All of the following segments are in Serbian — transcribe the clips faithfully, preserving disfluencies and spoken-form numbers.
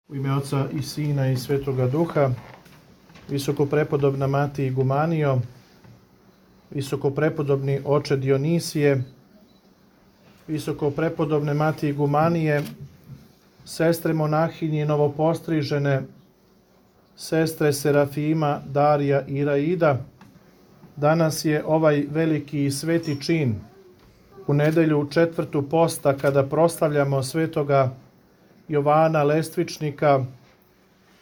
U ime Oca i Sina i Svetoga Duha, visokoprepodobna Mati Igumanijo, visokoprepodobni oče Dionisije, visokoprepodobne Mati Igumanije, sestre monahinje novopostrižene, sestre Serafima, Darija i Iraida. Danas je ovaj veliki i sveti čin, u nedelju četvrtu posta, kada proslavljamo svetoga Jovana Lestvičnika,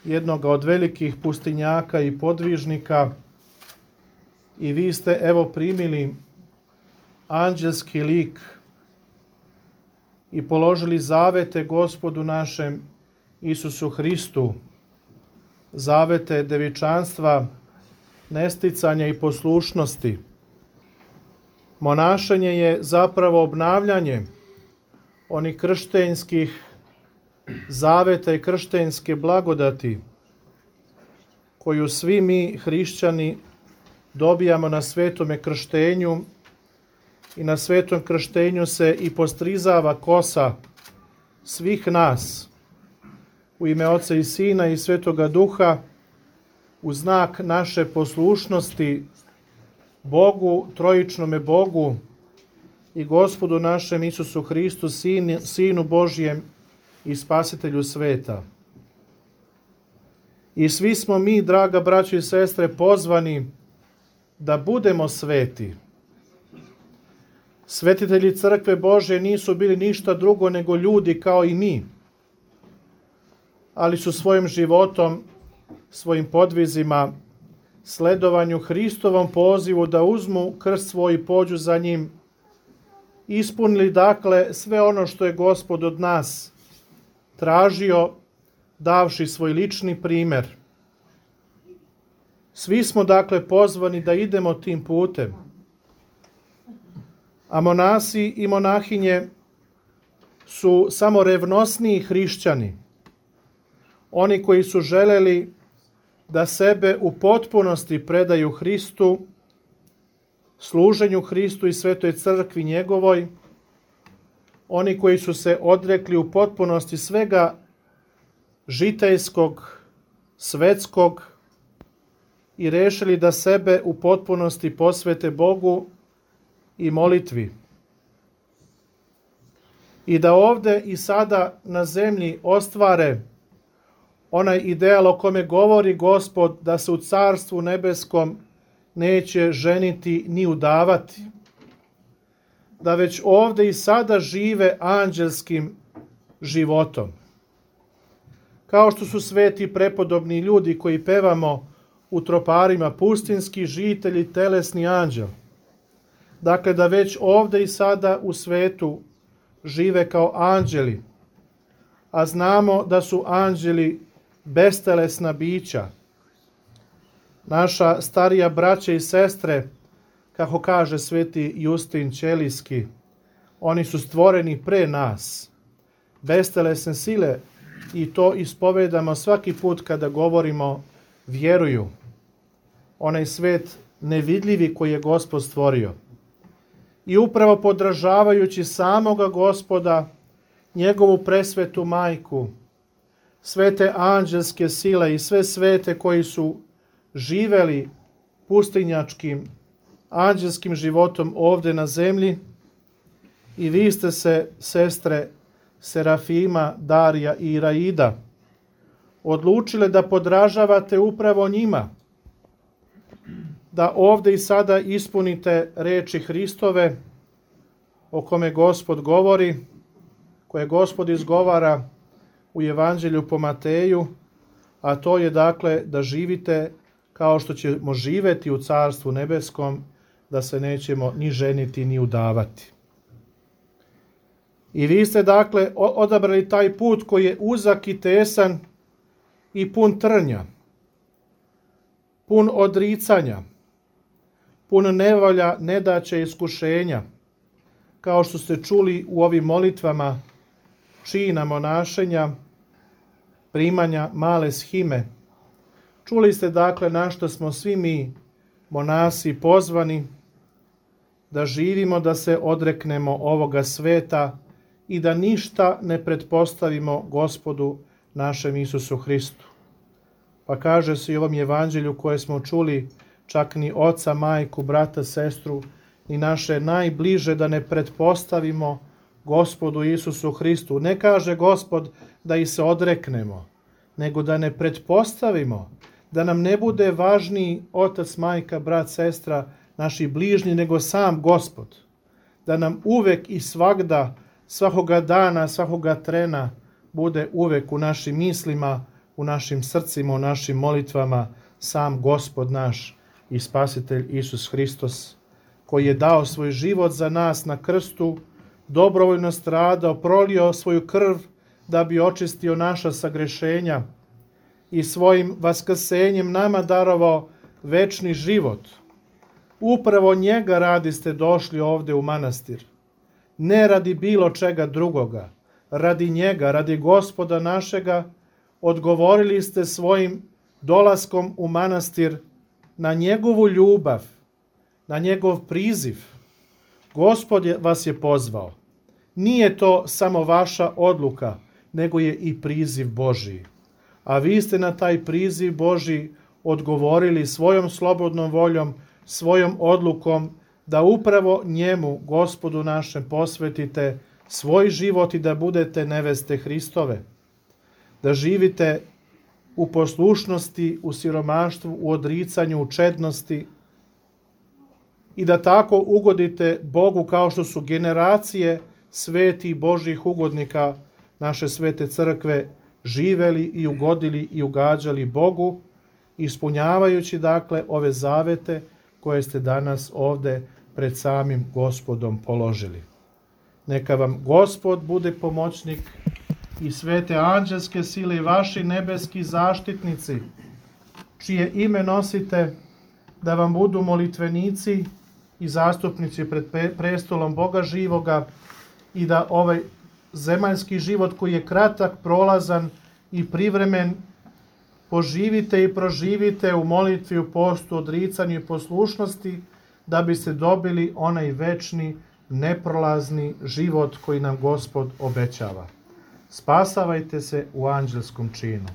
jednoga od velikih pustinjaka i podvižnika, i vi ste evo primili anđelski lik i položili zavete Gospodu našem Isusu Hristu, zavete devičanstva, nesticanja i poslušnosti. Monašenje je zapravo obnavljanje onih krštenskih zaveta i krštenske blagodati koju svi mi hrišćani dobijamo na svetome krštenju, i na svetom krštenju se i postrizava kosa svih nas u ime Oca i Sina i Svetoga Duha, u znak naše poslušnosti Bogu, trojičnome Bogu i Gospodu našem Isusu Hristu, Sin, Sinu Božjem i Spasitelju sveta. I svi smo mi, draga braćo i sestre, pozvani da budemo sveti. Svetitelji Crkve Božje nisu bili ništa drugo nego ljudi kao i mi, ali su svojim životom, svojim podvizima, sledovanju Hristovom pozivu da uzmu krst svoj i pođu za njim, ispunili dakle sve ono što je Gospod od nas tražio, davši svoj lični primer. Svi smo dakle pozvani da idemo tim putem. A monasi i monahinje su samo revnosniji hrišćani, oni koji su želeli da sebe u potpunosti predaju Hristu, služenju Hristu i Svetoj Crkvi njegovoj, oni koji su se odrekli u potpunosti svega žitejskog, svetskog i rešili da sebe u potpunosti posvete Bogu i molitvi. I da ovde i sada na zemlji ostvare onaj ideal o kome govori Gospod, da se u Carstvu nebeskom neće ženiti ni udavati. Da već ovde i sada žive anđelskim životom. Kao što su sveti prepodobni ljudi koji pevamo u troparima, pustinski žitelji, telesni anđel. Dakle, da već ovde i sada u svetu žive kao anđeli, a znamo da su anđeli bestelesna bića. Naša starija braća i sestre, kako kaže sveti Justin Ćelijski, oni su stvoreni pre nas, bestelesne sile, i to ispovedamo svaki put kada govorimo vjeruju. Onaj svet nevidljivi koji je Gospod stvorio. I upravo podražavajući samoga Gospoda, njegovu presvetu majku, svete anđelske sile i sve svete koji su živeli pustinjačkim, anđelskim životom ovde na zemlji, i vi ste se, sestre Serafima, Darija i Iraida, odlučile da podražavate upravo njima, da ovde i sada ispunite reči Hristove o kome Gospod govori, koje Gospod izgovara u Evanđelju po Mateju, a to je dakle da živite kao što ćemo živeti u Carstvu nebeskom, da se nećemo ni ženiti ni udavati. I vi ste dakle odabrali taj put koji je uzak i tesan i pun trnja, pun odricanja, pun nevolja, nedaće, iskušenja, kao što ste čuli u ovim molitvama čina monašenja, primanja male shime. Čuli ste dakle na što smo svi mi monasi pozvani, da živimo, da se odreknemo ovoga sveta i da ništa ne pretpostavimo Gospodu našem Isusu Hristu. Pa kaže se i u ovom evanđelju koje smo čuli, čak ni oca, majku, brata, sestru i naše najbliže da ne pretpostavimo Gospodu Isusu Hristu. Ne kaže Gospod da ih se odreknemo, nego da ne pretpostavimo, da nam ne bude važniji otac, majka, brat, sestra, naši bližnji, nego sam Gospod. Da nam uvek i svagda, svakoga dana, svakoga trena bude uvek u našim mislima, u našim srcima, u našim molitvama sam Gospod naš i Spasitelj Isus Hristos, koji je dao svoj život za nas na krstu, dobrovoljno stradao, prolio svoju krv da bi očistio naša sagrešenja i svojim vaskrsenjem nama darovao večni život. Upravo njega radi ste došli ovde u manastir. Ne radi bilo čega drugoga. Radi njega, radi Gospoda našega, odgovorili ste svojim dolaskom u manastir na njegovu ljubav, na njegov priziv. Gospod vas je pozvao. Nije to samo vaša odluka, nego je i priziv Božiji. A vi ste na taj priziv Božiji odgovorili svojom slobodnom voljom, svojom odlukom da upravo njemu, Gospodu našem, posvetite svoj život i da budete neveste Hristove. Da živite u poslušnosti, u siromaštvu, u odricanju, u čednosti i da tako ugodite Bogu kao što su generacije svetih Božjih ugodnika naše svete crkve živeli i ugodili i ugađali Bogu, ispunjavajući dakle ove zavete koje ste danas ovde pred samim Gospodom položili. Neka vam Gospod bude pomoćnik i svete anđelske sile i vaši nebeski zaštitnici, čije ime nosite, da vam budu molitvenici i zastupnici pred prestolom Boga živoga i da ovaj zemaljski život koji je kratak, prolazan i privremen poživite i proživite u molitvi, u postu, odricanju i poslušnosti, da biste dobili onaj večni, neprolazni život koji nam Gospod obećava. Spasavajte se u anđelskom činu.